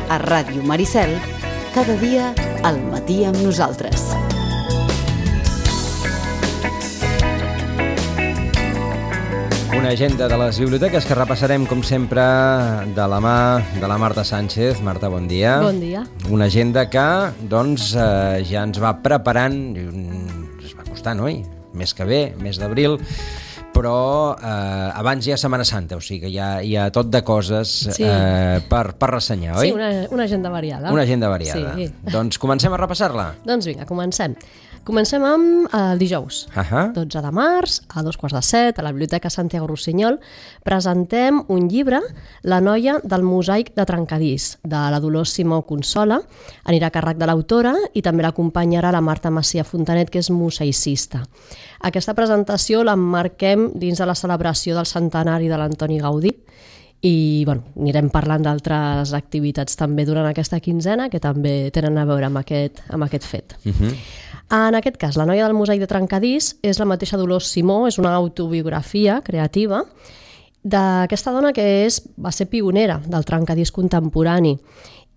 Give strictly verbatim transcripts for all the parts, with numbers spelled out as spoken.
a Ràdio Maricel, cada dia al matí amb nosaltres. Una agenda de les biblioteques que repassarem, com sempre, de la mà de la Marta Sánchez. Marta, bon dia. Bon dia. Una agenda que, doncs, eh, ja ens va preparant, es va costar, no? Mes que ve, mes d'abril, però eh, abans hi ha Setmana Santa, o sigui que hi ha, hi ha tot de coses sí. eh, per, per ressenyar, oi? Sí, una, una agenda variada. Una agenda variada. Sí. Doncs comencem a repassar-la. Doncs vinga, comencem. Comencem amb el dijous, uh-huh. dotze de març, a dos quarts de set, a la Biblioteca Santiago Rossinyol, presentem un llibre, La noia del mosaic de trencadís, de la Dolors Simó Consola. Anirà a càrrec de l'autora i també l'acompanyarà la Marta Macia Fontanet, que és mosaicista. Aquesta presentació l'emmarquem dins de la celebració del centenari de l'Antoni Gaudí i bueno, anirem parlant d'altres activitats també durant aquesta quinzena que també tenen a veure amb aquest, amb aquest fet. Uh-huh. En aquest cas, La noia del mosaic de trencadís és la mateixa Dolors Simó, és una autobiografia creativa d'aquesta dona que és, va ser pionera del trencadís contemporani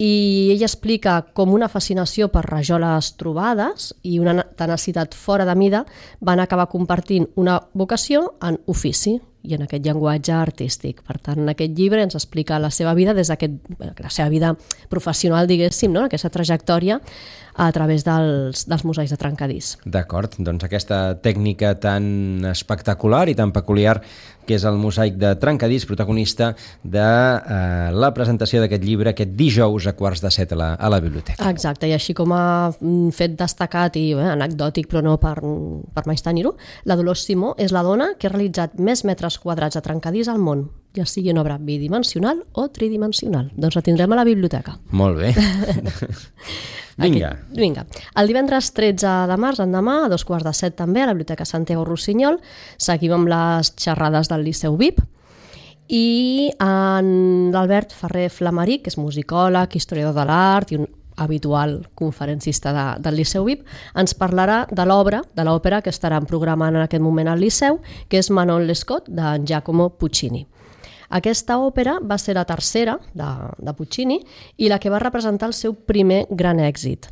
i ella explica com una fascinació per rajoles trobades i una tenacitat fora de mida van acabar compartint una vocació en ofici i en aquest llenguatge artístic. Per tant, en aquest llibre ens explica la seva vida des d'aquest, la seva vida professional, diguéssim, no? Aquesta trajectòria a través dels, dels mosaics de trencadís. D'acord, doncs aquesta tècnica tan espectacular i tan peculiar que és el mosaic de trencadís, protagonista de eh, la presentació d'aquest llibre aquest dijous a quarts de set a la, a la biblioteca. Exacte, i així com a fet destacat i eh, anecdòtic, però no per, per més tenir-ho, la Dolors Simó és la dona que ha realitzat més metres quadrats de trencadís al món, ja sigui en obra bidimensional o tridimensional. Doncs la tindrem a la biblioteca. Molt bé. Vinga. Aquí, vinga. El divendres tretze de març, endemà, a dos quarts de set també, a la Biblioteca Santiago Rossinyol, seguim amb les xerrades del Liceu V I P i en l'Albert Ferrer Flamaric, que és musicòleg, historiador de l'art i un habitual conferencista de, del Liceu V I P, ens parlarà de l'obra, de l'òpera que estaran programant en aquest moment al Liceu, que és Manon Lescaut, de Giacomo Puccini. Aquesta òpera va ser la tercera de, de Puccini i la que va representar el seu primer gran èxit.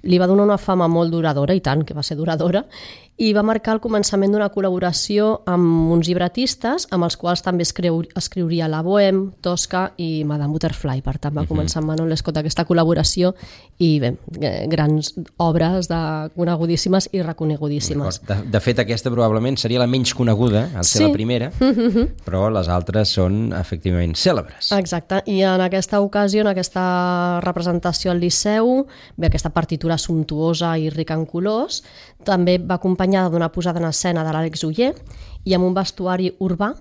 Li va donar una fama molt duradora, i tant que va ser duradora, i va marcar el començament d'una col·laboració amb uns llibretistes amb els quals també escriu, escriuria La Bohème, Tosca i Madame Butterfly. Per tant, va començar amb Manon Lescaut aquesta col·laboració i bé, grans obres de conegudíssimes i reconegudíssimes. De, de fet, aquesta probablement seria la menys coneguda, al ser sí. la primera, però les altres són efectivament cèlebres. Exacte, i en aquesta ocasió, en aquesta representació al Liceu, bé, aquesta partitura sumptuosa i rica en colors, també va acompanyada d'una posada en escena de l'Àlex Oller i amb un vestuari urbà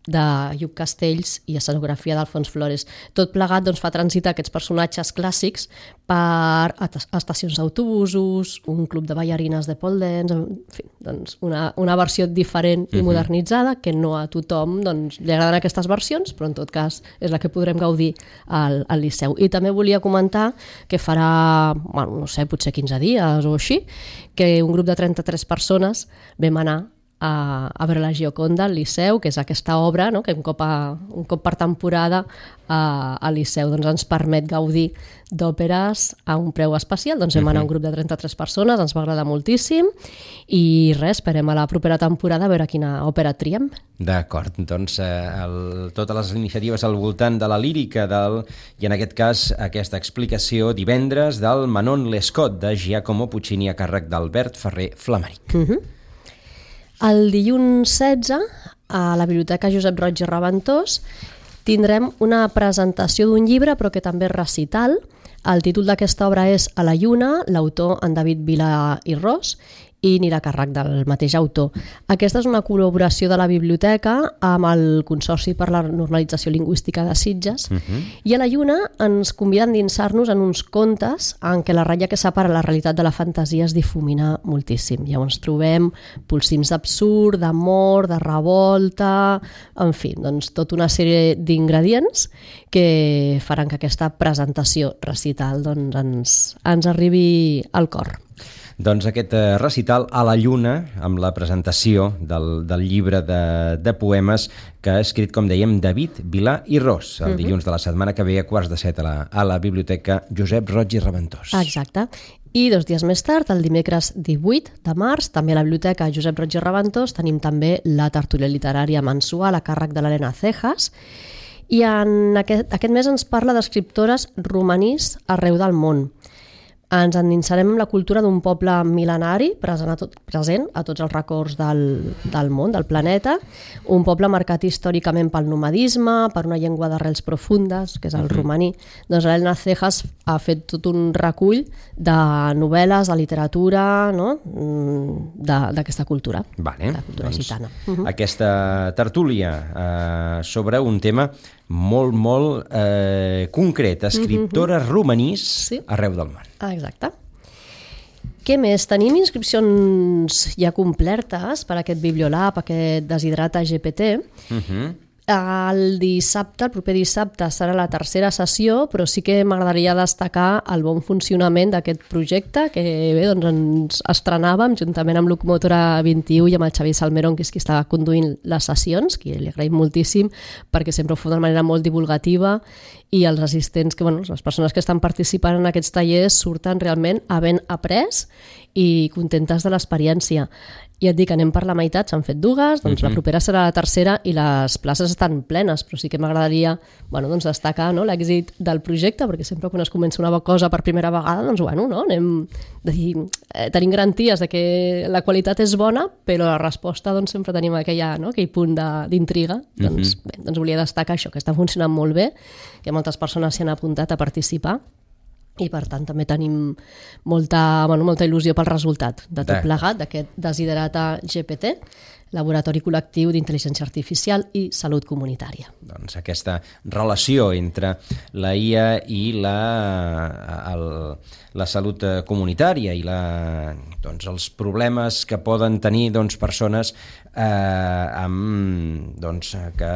de Lluc Castells i escenografia d'Alfons Flores. Tot plegat doncs, fa transitar aquests personatges clàssics per estacions d'autobusos, un club de ballarines de pole dance, en fi, doncs una, una versió diferent i modernitzada que no a tothom doncs, li agraden aquestes versions, però en tot cas és la que podrem gaudir al, al Liceu. I també volia comentar que farà, bueno, no sé, potser quinze dies o així, que un grup de trenta-tres persones vam anar a, a veure la Gioconda al Liceu, que és aquesta obra, no?, que un cop, a, un cop per temporada a, al Liceu doncs ens permet gaudir d'òperes a un preu especial. Doncs vam anar un grup de trenta-tres persones, ens va agradar moltíssim i res, esperem a la propera temporada a veure quina òpera triem. D'acord, doncs eh, el, totes les iniciatives al voltant de la lírica del, i en aquest cas aquesta explicació divendres del Manon Lescaut de Giacomo Puccini a càrrec d'Albert Ferrer Flamaric. Uh-huh. El dilluns setze, a la Biblioteca Josep Roig i Reventós, tindrem una presentació d'un llibre, però que també és recital. El títol d'aquesta obra és A la lluna, l'autor en David Vila i Ros, i anirà a càrrec del mateix autor. Aquesta és una col·laboració de la biblioteca amb el Consorci per la Normalització Lingüística de Sitges, uh-huh. i a la lluna ens convida a endinsar-nos en uns contes en què la ratlla que separa la realitat de la fantasia es difumina moltíssim. Llavors trobem polsims d'absurd, d'amor, de revolta, en fi, doncs tota una sèrie d'ingredients que faran que aquesta presentació recital doncs, ens, ens arribi al cor. doncs aquest recital a la Lluna, amb la presentació del, del llibre de, de poemes que ha escrit, com dèiem, David Vilà i Ros, el dilluns de la setmana que ve a quarts de set a la, a la Biblioteca Josep Roig i Reventós. Exacte. I dos dies més tard, el dimecres divuit de març, també a la Biblioteca Josep Roig i Reventós, tenim també la tertúlia literària mensual a càrrec de l'Helena Cejas. I en aquest, aquest mes ens parla d'escriptores romanís arreu del món. Ens endinsarem en la cultura d'un poble mil·lenari present a, tot, present a tots els racons del, del món, del planeta, un poble marcat històricament pel nomadisme, per una llengua d'arrels profundes, que és el romaní. Doncs l'Helena Cejas ha fet tot un recull de novel·les, de literatura, no? d'aquesta cultura, vale, la cultura doncs, gitana. Uh -huh. Aquesta tertúlia eh, sobre un tema molt, molt eh, concret, escriptores uh-huh. romanís sí. arreu del món. Ah, exacte. Què més? Tenim inscripcions ja complertes per aquest Bibliolab, aquest Desiderata G P T. Uh-huh. El dissabte, el proper dissabte, serà la tercera sessió, però sí que m'agradaria destacar el bon funcionament d'aquest projecte, que bé, doncs ens estrenàvem juntament amb Locomotora vint-i-u i amb el Xavier Salmerón, que és qui estava conduint les sessions, que li agraïm moltíssim, perquè sempre ho fa d'una manera molt divulgativa, i els assistents, que, bueno, les persones que estan participant en aquests tallers surten realment havent après i contentes de l'experiència. I et dic, anem per la meitat, s'han fet dues, doncs uh-huh. la propera serà la tercera i les places estan plenes, però sí que m'agradaria bueno, doncs destacar no, l'èxit del projecte, perquè sempre quan es comença una cosa per primera vegada, doncs bueno, no, anem de dir, eh, tenim garanties de que la qualitat és bona, però la resposta doncs sempre tenim aquella, no, aquell punt d'intriga. Doncs, uh-huh. bé, doncs volia destacar això, que està funcionant molt bé, que moltes persones s'hi han apuntat a participar, i per tant també tenim molta, bueno, molta il·lusió pel resultat de tot plegat d'aquest Desiderata G P T, Laboratori Col·lectiu d'Intel·ligència Artificial i Salut Comunitària. Doncs aquesta relació entre la I A i la, el, la salut comunitària i la, doncs, els problemes que poden tenir doncs, persones eh, amb, doncs, que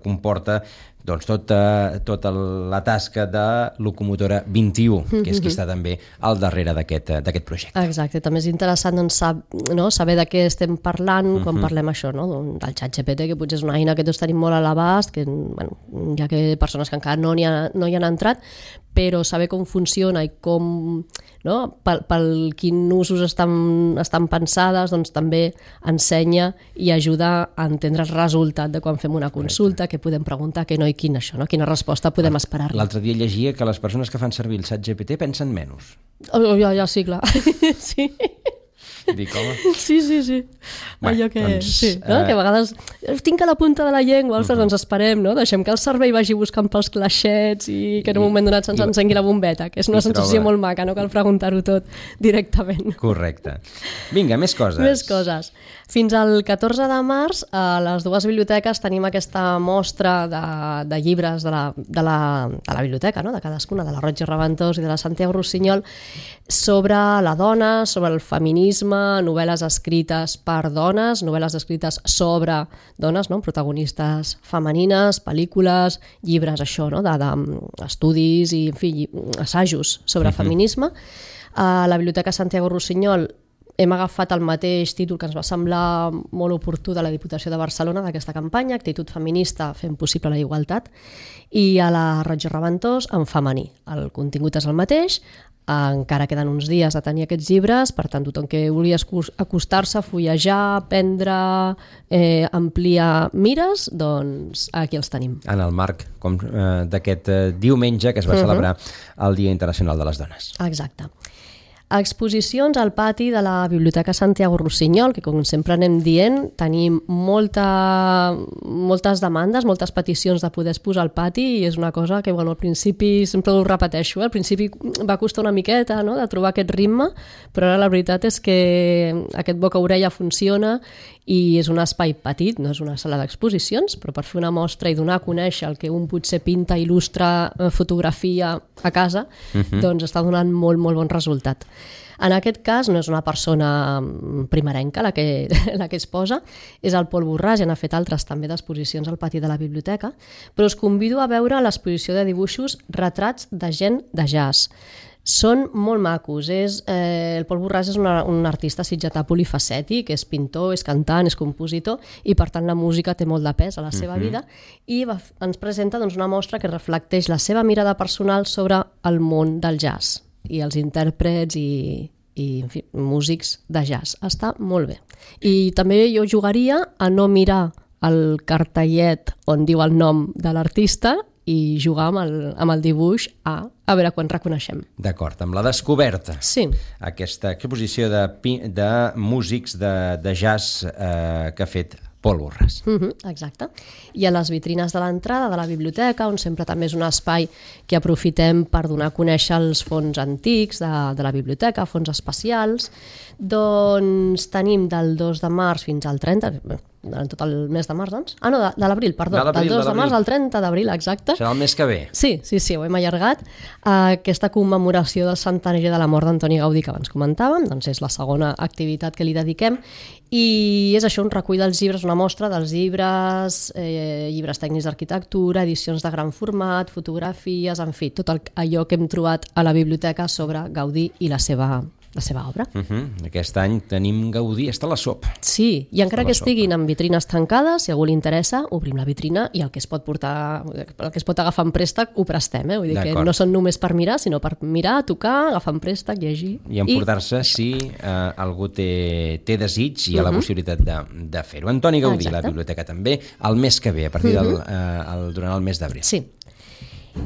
comporta doncs tota, tota la tasca de Locomotora vint-i-u, que és qui està també al darrere d'aquest projecte. Exacte, també és interessant doncs, sab, no, saber de què estem parlant quan uh-huh. parlem això, no? Del xat G P T, que potser és una eina que tots tenim molt a l'abast, que bueno, hi ha que persones que encara no hi, ha, no hi han entrat, però saber com funciona i com, no, pel, pel quin usos estan, estan pensades, doncs també ensenya i ajuda a entendre el resultat de quan fem una consulta, què podem preguntar, què no i quina, això, no? Quina resposta podem esperar. L'altre dia llegia que les persones que fan servir el xat G P T pensen menys. Oh, ja, ja, sí, clar. Sí. Dic, home. Sí, sí, sí. Bé, Allò que, doncs, sí, no? uh... que a vegades tinc a la punta de la llengua, ostres, uh-huh. doncs esperem, no? Deixem que el cervell vagi buscant pels claixets i que en un moment donat se'ns encengui la bombeta, que és una sensació troba... molt maca, no cal preguntar-ho tot directament. Correcte. Vinga, més coses. Més coses. Fins al catorze de març, a les dues biblioteques tenim aquesta mostra de, de llibres de la, de, la, de la biblioteca, no? De cadascuna, de la Roig i Reventós i de la Santiago Rossinyol, sobre la dona, sobre el feminisme, novel·les escrites per dones, novel·les escrites sobre dones, no? Protagonistes femenines, pel·lícules, llibres, això, no? d'estudis i, en fi, assajos sobre uh-huh. feminisme. A la Biblioteca Santiago Rossinyol hem agafat el mateix títol que ens va semblar molt oportú de la Diputació de Barcelona d'aquesta campanya, Actitud feminista fent possible la igualtat, i a la Roig i Reventós en femení. El contingut és el mateix, encara queden uns dies a tenir aquests llibres, per tant, tothom que vulgui acostar-se, fullejar, aprendre, eh, ampliar mires, doncs aquí els tenim. En el marc com, eh, d'aquest eh, diumenge que es va uh-huh. celebrar el Dia Internacional de les Dones. Exacte. Exposicions al pati de la Biblioteca Santiago Rossinyol, que com sempre anem dient, tenim molta, moltes demandes, moltes peticions de poder exposar al pati, i és una cosa que bueno, al principi, sempre ho repeteixo, eh? Al principi va costar una miqueta, no?, de trobar aquest ritme, però ara la veritat és que aquest boca-orella funciona i és un espai petit, no és una sala d'exposicions, però per fer una mostra i donar a conèixer el que un potser pinta, il·lustra, fotografia a casa, uh-huh. doncs està donant molt, molt bon resultat. En aquest cas no és una persona primerenca la que, la que es posa, és el Pol Borràs, i n'ha fet altres també d'exposicions al pati de la biblioteca, però us convido a veure l'exposició de dibuixos Retrats de gent de jazz. Són molt macos. És, eh, el Pol Borràs és una, un artista sitgetà polifacètic, és pintor, és cantant, és compositor, i per tant la música té molt de pes a la seva uh-huh. vida, i va, ens presenta doncs, una mostra que reflecteix la seva mirada personal sobre el món del jazz i els intèrprets i, i en fi, músics de jazz. Està molt bé. I també jo jugaria a no mirar el cartellet on diu el nom de l'artista i jugar amb el, amb el dibuix a, a veure quan reconeixem. D'acord, amb la descoberta. Sí. Aquesta exposició de, de músics de, de jazz eh, que ha fet Pol Borràs. Uh-huh, exacte. I a les vitrines de l'entrada de la biblioteca, on sempre també és un espai que aprofitem per donar a conèixer els fons antics de, de la biblioteca, fons especials, doncs tenim del dos de març fins al trenta, durant tot el mes de març, doncs? Ah, no, de, de l'abril, perdó. De del dos de, de març al trenta d'abril, exacte. Serà el mes que ve. Sí, sí, sí, ho hem allargat. Aquesta commemoració del centenari de la mort d'Antoni Gaudí que abans comentàvem, doncs és la segona activitat que li dediquem, i és això, un recull dels llibres, una mostra dels llibres, eh, llibres tècnics d'arquitectura, edicions de gran format, fotografies, en fi, tot el, allò que hem trobat a la biblioteca sobre Gaudí i la seva la seva obra. Uh-huh. Aquest any tenim Gaudí, està a la sopa. Sí, i encara que estiguin en vitrines tancades, si a algú li interessa, obrim la vitrina i el que es pot portar, el que es pot agafar en préstec ho prestem, eh? Vull dir que no són només per mirar, sinó per mirar, tocar, agafar en préstec, llegir. I emportar-se I... si eh, algú té, té desig i hi ha la uh-huh. possibilitat de, de fer-ho. Antoni Gaudí, exacte. La biblioteca també, el mes que ve, a partir uh-huh. del, eh, el, durant el mes d'abril. Sí.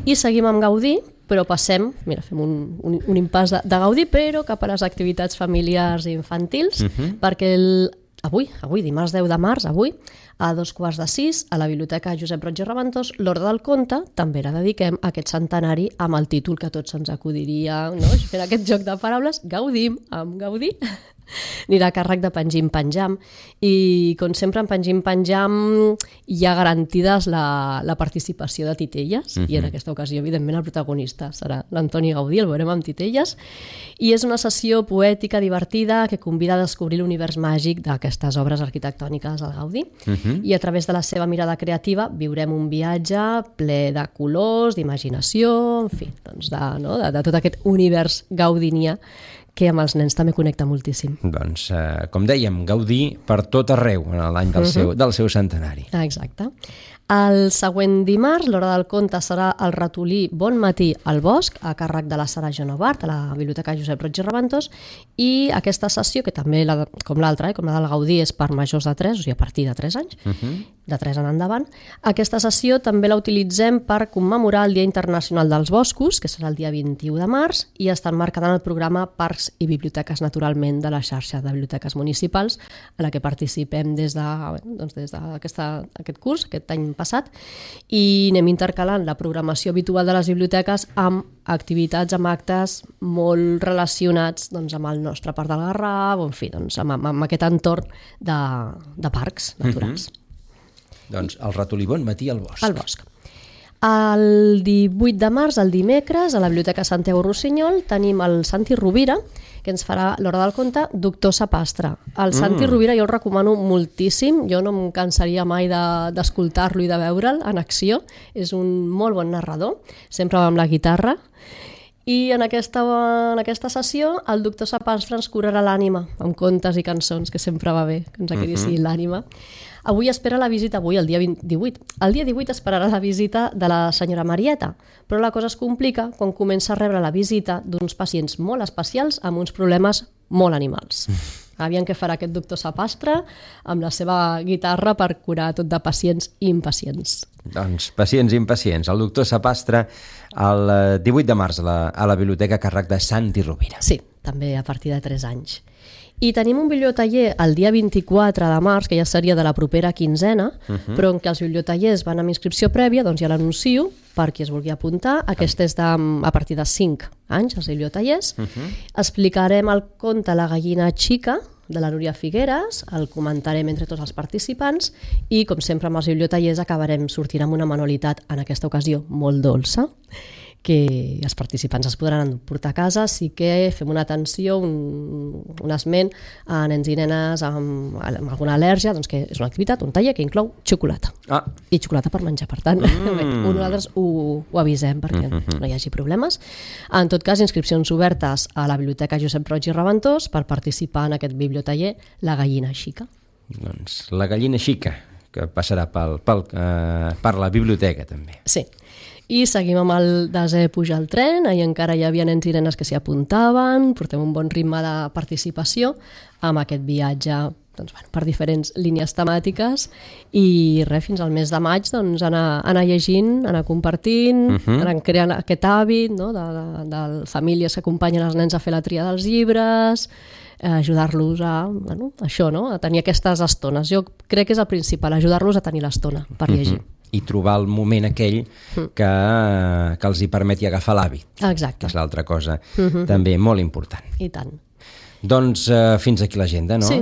I seguim amb Gaudí, però passem, mira, fem un, un, un impàs de, de Gaudí, però cap a les activitats familiars i infantils, uh-huh. perquè el, avui, avui, dimarts deu de març, avui, a dos quarts de sis, a la Biblioteca Josep Roig i Raventós, l'Hora del Conte, també la dediquem a aquest centenari amb el títol que tots ens acudiria, no? Fent aquest joc de paraules, Gaudim amb Gaudí. Anirà a càrrec de Pengim Penjam, i com sempre en Pengim Penjam hi ha garantides la, la participació de titelles, uh-huh. i en aquesta ocasió evidentment el protagonista serà l'Antoni Gaudí, el veurem amb titelles, i és una sessió poètica divertida que convida a descobrir l'univers màgic d'aquestes obres arquitectòniques del Gaudí, uh-huh. i a través de la seva mirada creativa viurem un viatge ple de colors, d'imaginació, en fi, doncs de, no? de, de tot aquest univers gaudinià que amb els nens també connecta moltíssim. Doncs, eh, com dèiem, Gaudí per tot arreu en l'any del, uh-huh. seu, del seu centenari. Exacte. El següent dimarts, l'Hora del Conte serà el ratolí Bon matí al bosc, a càrrec de la Sara Genovart, a la Biblioteca Josep Roig i Raventós, i aquesta sessió, que també, la, com l'altra, eh, com la del Gaudí, és per majors de tres, o sigui, a partir de tres anys, uh-huh. de tres en endavant, aquesta sessió també la utilitzem per commemorar el Dia Internacional dels Boscos, que serà el dia vint-i-u de març, i està enmarcada en el programa Parcs i Biblioteques, naturalment, de la xarxa de biblioteques municipals, a la que participem des de, doncs, des d'aquest curs, aquest any passat, i anem intercalant la programació habitual de les biblioteques amb activitats, amb actes molt relacionats doncs, amb el nostre Parc del Garraf, o en fi, doncs, amb, amb aquest entorn de, de parcs naturals. Mm-hmm. Doncs el ratolí Bon matí al bosc. Al bosc. El divuit de març, el dimecres, a la Biblioteca Santiago Rossinyol, tenim el Santi Rovira, que ens farà l'Hora del Conte, Doctor Sapastre. El mm. Santi Rovira jo el recomano moltíssim, jo no em cansaria mai d'escoltar-lo de, i de veure'l en acció. És un molt bon narrador, sempre va amb la guitarra. I en aquesta, en aquesta sessió el doctor Sapastre ens curarà l'ànima amb contes i cançons, que sempre va bé, que ens acarici uh-huh. l'ànima. Avui espera la visita, avui el dia divuit. El dia divuit esperarà la visita de la senyora Marieta, però la cosa es complica quan comença a rebre la visita d'uns pacients molt especials amb uns problemes molt animals. Aviam què farà aquest doctor Sapastre amb la seva guitarra per curar tot de pacients i impacients. Doncs pacients i impacients. El doctor Sapastre el divuit de març a la, a la biblioteca a càrrec de Santi Rovira. Sí, també a partir de tres anys. I tenim un bibliotaller el dia vint-i-quatre de març, que ja seria de la propera quinzena, uh-huh. però en què els bibliotallers van amb inscripció prèvia, doncs ja l'anuncio per qui es vulgui apuntar. Aquest és de, a partir de cinc anys, els bibliotallers. Uh-huh. Explicarem el conte La gallina xica, de la Núria Figueres, el comentarem entre tots els participants i, com sempre amb els bibliotallers, acabarem sortint amb una manualitat, en aquesta ocasió molt dolça. que els participants es podran emportar a casa. Sí que fem una atenció, un, un esment a nens i nenes amb, amb alguna al·lèrgia, doncs que és una activitat, un taller que inclou xocolata. Ah. I xocolata per menjar, per tant, mm. nosaltres ho, ho avisem perquè mm-hmm. no hi hagi problemes. En tot cas, inscripcions obertes a la Biblioteca Josep Roig i Reventós per participar en aquest bibliotaller La Gallina Xica. Doncs la Gallina Xica, que passarà pel, pel, eh, per la biblioteca també. Sí. I seguim amb el desè pujar al tren, ahir encara hi havia nens i nenes que s'hi apuntaven, portem un bon ritme de participació amb aquest viatge doncs, bueno, per diferents línies temàtiques i res, fins al mes de maig doncs, anar, anar llegint, anar compartint, uh-huh. anar creant aquest hàbit no? de, de, de famílies que acompanyen els nens a fer la tria dels llibres, eh, ajudar-los a, bueno, això, no? A tenir aquestes estones. Jo crec que és el principal, ajudar-los a tenir l'estona per llegir. Uh-huh. I trobar el moment aquell que, que els hi permeti agafar l'hàbit. Exacte. Que és l'altra cosa uh-huh. també molt important. I tant. Doncs uh, fins aquí l'agenda, no? Sí.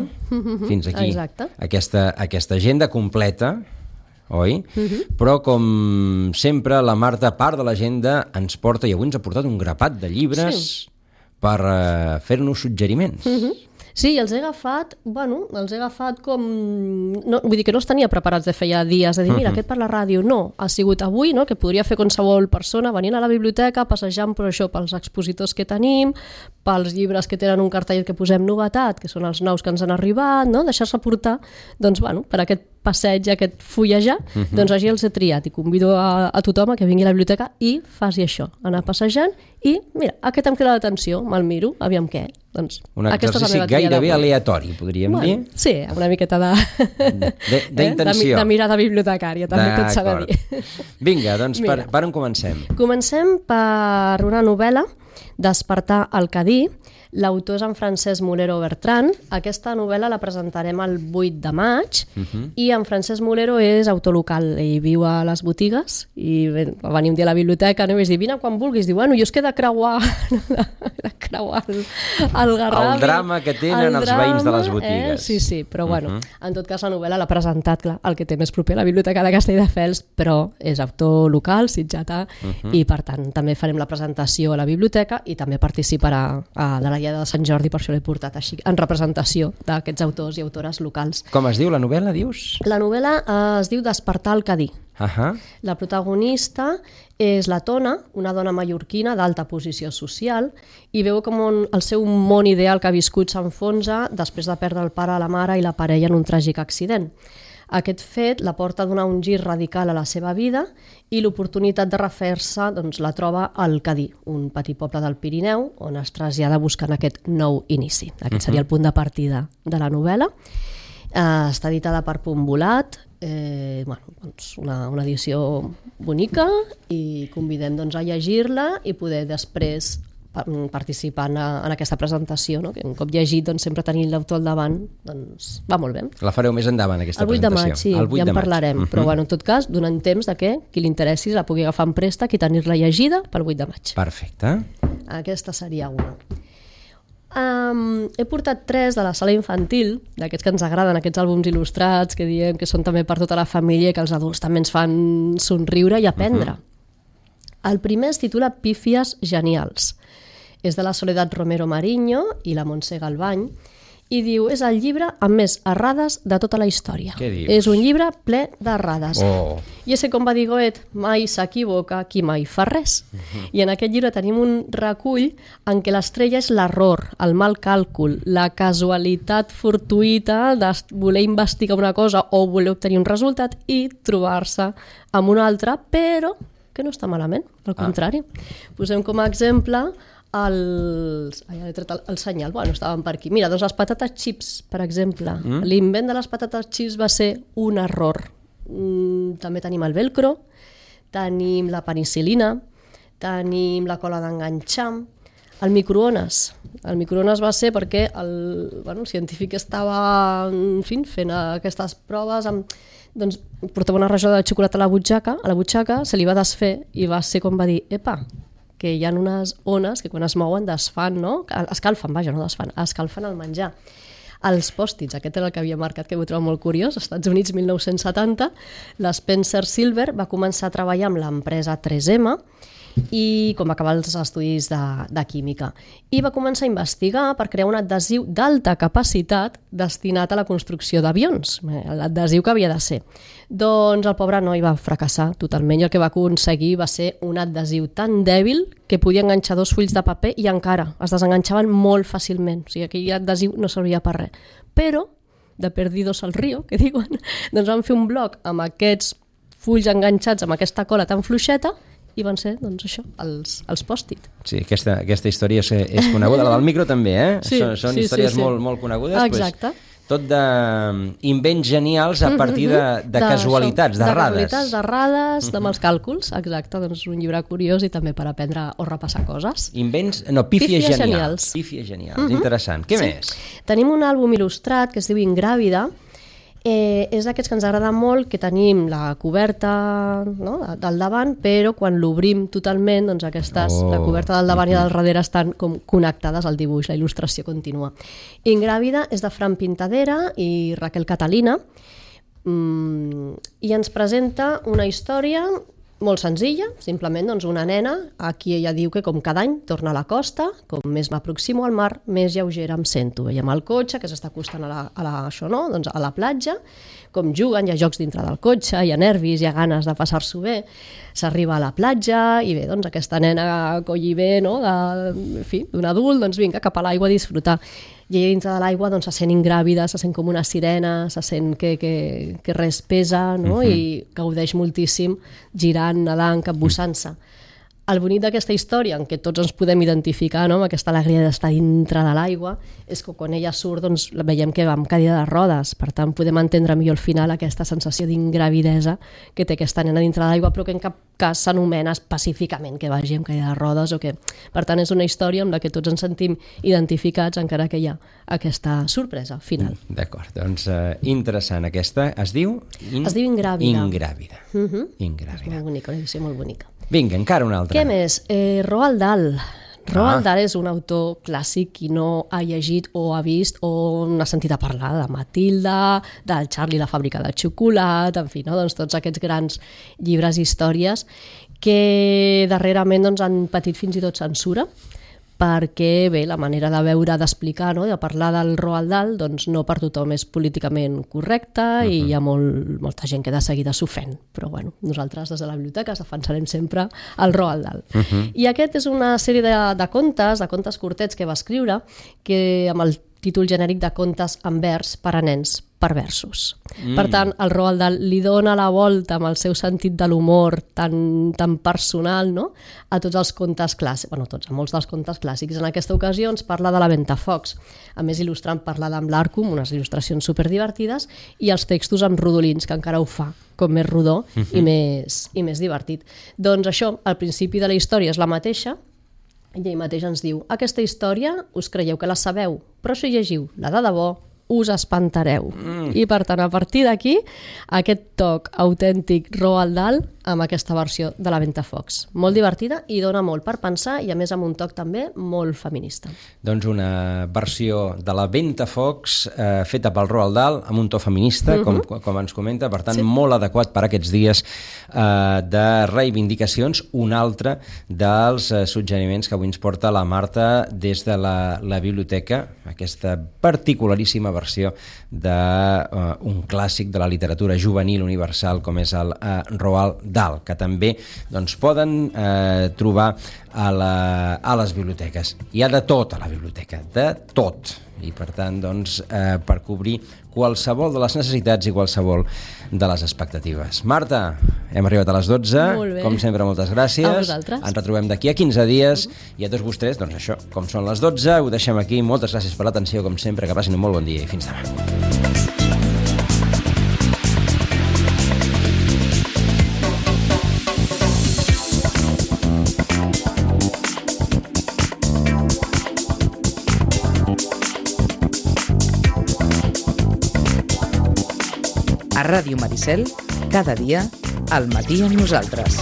Fins aquí. Exacte. Aquesta, aquesta agenda completa, oi? Uh-huh. Però com sempre la Marta, a part de l'agenda, ens porta, i avui ens ha portat un grapat de llibres sí. per uh, fer-nos suggeriments. Uh-huh. Sí, els he agafat, bueno, els he agafat com... No, vull dir que no els tenia preparats de feia dies, de dir, mira, uh-huh. aquest per la ràdio. No, ha sigut avui, no?, que podria fer qualsevol persona venint a la biblioteca, passejant per això, pels expositors que tenim, pels llibres que tenen un cartellet que posem novetat, que són els nous que ens han arribat, no?, deixar-se portar, doncs, bueno, per aquest passeig, aquest fullejar, uh-huh. doncs així els he triat i convido a, a tothom a que vingui a la biblioteca i faci això, anar passejant i, mira, aquest em crida l'atenció, me'l miro, aviam què. Doncs, un exercici gairebé aleatori, podríem bueno, dir. Sí, una miqueta de... d'intenció. De, de mirada bibliotecària, també tot s'ha de dir. Vinga, doncs per, per on comencem? Comencem per una novel·la, Despertar al Cadí. L'autor és en Francesc Mulero Bertran. Aquesta novel·la la presentarem el vuit de maig uh-huh. i en Francesc Mulero és autor local. Ell viu a les botigues i va venir un dia a la biblioteca i vaig dir, vine quan vulguis. Diu, bueno, jo és que he de creuar, de creuar el, el Garrabi. El drama que tenen el els drama, veïns de les botigues. Eh? Sí, sí, però uh-huh. bueno, en tot cas la novel·la l'ha presentat, clar, el que té més proper a la biblioteca de Castelldefels, però és autor local, sitjatà, uh-huh. i per tant també farem la presentació a la biblioteca i també participarà a, de la de Sant Jordi, per això l'he portat així, en representació d'aquests autors i autores locals. Com es diu la novel·la, dius? La novel·la eh, es diu Despertar al Cadí. Uh-huh. La protagonista és la Tona, una dona mallorquina d'alta posició social, i veu com un, el seu món ideal que ha viscut s'enfonsa després de perdre el pare, la mare i la parella en un tràgic accident. Aquest fet la porta a donar un gir radical a la seva vida i l'oportunitat de refer-se doncs, la troba al Cadí, un petit poble del Pirineu on es trasllada buscant aquest nou inici. Aquest seria el punt de partida de la novel·la. Eh, està editada per Punt Volat, eh, bueno, doncs una, una edició bonica i convidem doncs, a llegir-la i poder després participant en aquesta presentació, no? Que un cop llegit doncs, sempre tenir l'autor al davant doncs, va molt bé. La fareu més endavant, aquesta presentació? El vuit de maig, sí, el vuit ja en de parlarem, maig. Però bueno, en tot cas, donant temps de que qui li interessi la pugui agafar en préstec i tenir-la llegida pel vuit de maig. Perfecte. Aquesta seria una. Um, he portat tres de la sala infantil, d'aquests que ens agraden, aquests àlbums il·lustrats que diem que són també per tota la família i que els adults també ens fan somriure i aprendre. Uh-huh. El primer es titula Pífies genials. És de la Soledad Romero Mariño i la Montse Galvany, i diu, és el llibre amb més errades de tota la història. Què dius? És un llibre ple d'errades. Oh. I és que, com va dir Goethe, mai s'equivoca qui mai fa res. Uh-huh. I en aquest llibre tenim un recull en què l'estrella és l'error, el mal càlcul, la casualitat fortuïta de voler investigar una cosa o voler obtenir un resultat i trobar-se amb una altra, però que no està malament, al contrari. Ah. Posem com a exemple els... Ai, he tret el, el senyal, bueno, estaven per aquí. Mira, doncs les patates chips, per exemple. Mm? L'invent de les patates chips va ser un error. Mm, també tenim el velcro, tenim la penicil·lina, tenim la cola d'enganxar, el microones. El microones va ser perquè el, bueno, el científic estava en fi, fent aquestes proves amb... Doncs portava una rajola de xocolata a la butxaca, a la butxaca se li va desfer i va ser com va dir, epa, que hi ha unes ones que quan es mouen desfan, no? Escalfen, vaja, no desfan, escalfen el menjar. Els pòstits, aquest era el que havia marcat, que ho trobo molt curiós, als Estats Units mil nou-cents setanta, l'Spencer Silver va començar a treballar amb l'empresa tres ema i com va acabar els estudis de, de química. I va començar a investigar per crear un adhesiu d'alta capacitat destinat a la construcció d'avions, l'adhesiu que havia de ser. Doncs el pobre noi va fracassar totalment i el que va aconseguir va ser un adhesiu tan dèbil que podia enganxar dos fulls de paper i encara es desenganxaven molt fàcilment. O sigui, aquell adhesiu no servia per res. Però, de perdidos al río, que diuen, doncs van fer un bloc amb aquests fulls enganxats amb aquesta cola tan fluixeta i van ser, doncs això, els, els pòst-it. Sí, aquesta, aquesta història és, és coneguda. La del micro també, eh? Sí, són són sí, històries sí, sí. Molt, molt conegudes. Exacte. Pues, tot d'invents genials a partir de, de, de casualitats, de, de rades. De casualitats, de rades, de mals càlculs. Exacte, doncs un llibre curiós i també per aprendre o repassar coses. Invents, no, pífies, Pífies genials. genials. Pífies genials, uh -huh. Interessant. Què sí. més? Tenim un àlbum il·lustrat que es diu Ingràvida. Eh, és d'aquests que ens agrada molt, que tenim la coberta, no?, del davant, però quan l'obrim totalment, doncs aquestes, oh. la coberta del davant i del darrere estan com connectades al dibuix, la il·lustració continua. Ingràvida és de Fran Pintadera i Raquel Catalina, mm, i ens presenta una història molt senzilla, simplement doncs, una nena, aquí ella diu que com cada any torna a la costa, com més m'aproximo al mar, més lleugera em sento. Veiem el cotxe que s'està acostant a la, a la, això, no? doncs a la platja, com juguen, hi ha jocs dintre del cotxe, hi ha nervis, hi ha ganes de passar-s'ho bé, s'arriba a la platja i bé, doncs aquesta nena colli bé, no? de, en fi, d'un adult, doncs vinga, cap a l'aigua a disfrutar. I ella dintre de l'aigua doncs, se sent ingràvida, se sent com una sirena, se sent que, que, que res pesa, no? Uh-huh. I gaudeix moltíssim girant, nedant, capbussant-se. El bonic d'aquesta història, en què tots ens podem identificar, no?, amb aquesta alegria d'estar dintre de l'aigua, és que quan ella surt doncs, veiem que va amb cadira de rodes, per tant podem entendre millor al final aquesta sensació d'ingravidesa que té aquesta nena dintre de l'aigua, però que en cap cas s'anomena específicament que vagi amb cadira de rodes o que... Per tant, és una història amb la que tots ens sentim identificats, encara que hi ha aquesta sorpresa final. D'acord, doncs uh, interessant aquesta. Es diu? In... Es diu Ingràvida. Ingràvida. Uh -huh. Ingràvida. És molt bonica, una edició molt bonica. Vinga, encara una altra. Què més? Eh, Roald Dahl. Roald ah. Dahl és un autor clàssic, qui no ha llegit o ha vist o n'ha sentit a parlar de Matilda, del Charlie la fàbrica de xocolata, en fi, no? doncs tots aquests grans llibres i històries que darrerament doncs, han patit fins i tot censura, perquè bé, la manera de veure, d'explicar, no? de parlar del Roald Dahl, doncs no per tothom és políticament correcta uh-huh. i hi ha molt, molta gent que de seguida s'ofèn. Però bueno, nosaltres des de la biblioteca defensarem sempre el Roald Dahl. Uh-huh. I aquest és una sèrie de, de contes, de contes curtets que va escriure, que amb el títol genèric de Contes en vers per a nens perversos. Mm. Per tant, el Roald Dahl li dona la volta amb el seu sentit de l'humor tan, tan personal, no?, a tots els contes clàssics, bueno, tots, a molts dels contes clàssics. En aquesta ocasió ens parla de la Ventafocs, a més il·lustrant parla d'en l'Arcum, unes il·lustracions superdivertides, i els textos amb rodolins, que encara ho fa com més rodó mm-hmm. i, més, i més divertit. Doncs això, al principi de la història és la mateixa, i ell mateix ens diu: aquesta història us creieu que la sabeu, però si llegiu la de debò us espantareu. Mm. I per tant, a partir d'aquí, aquest toc autèntic Roald Dahl amb aquesta versió de la Ventafocs. Molt divertida i dona molt per pensar i a més amb un toc també molt feminista. Doncs una versió de la Ventafocs eh, feta pel Roald Dahl amb un to feminista, uh-huh. com, com ens comenta, per tant sí. molt adequat per a aquests dies eh, de reivindicacions. Un altre dels eh, suggeriments que avui ens porta la Marta des de la, la biblioteca, aquesta particularíssima versió d'un uh, clàssic de la literatura juvenil universal com és el uh, Roald Dahl, que també doncs, poden uh, trobar a, la, a les biblioteques. Hi ha de tot a la biblioteca, de tot. I per tant, doncs, eh, per cobrir qualsevol de les necessitats i qualsevol de les expectatives. Marta, hem arribat a les dotze. Com sempre, moltes gràcies. A vosaltres. Ens retrobem d'aquí a quinze dies uh-huh. i a tots vostès, doncs això, com són les dotze, ho deixem aquí. Moltes gràcies per l'atenció, com sempre, que passin un molt bon dia i fins demà. A Ràdio Maricel, cada dia, al matí amb nosaltres.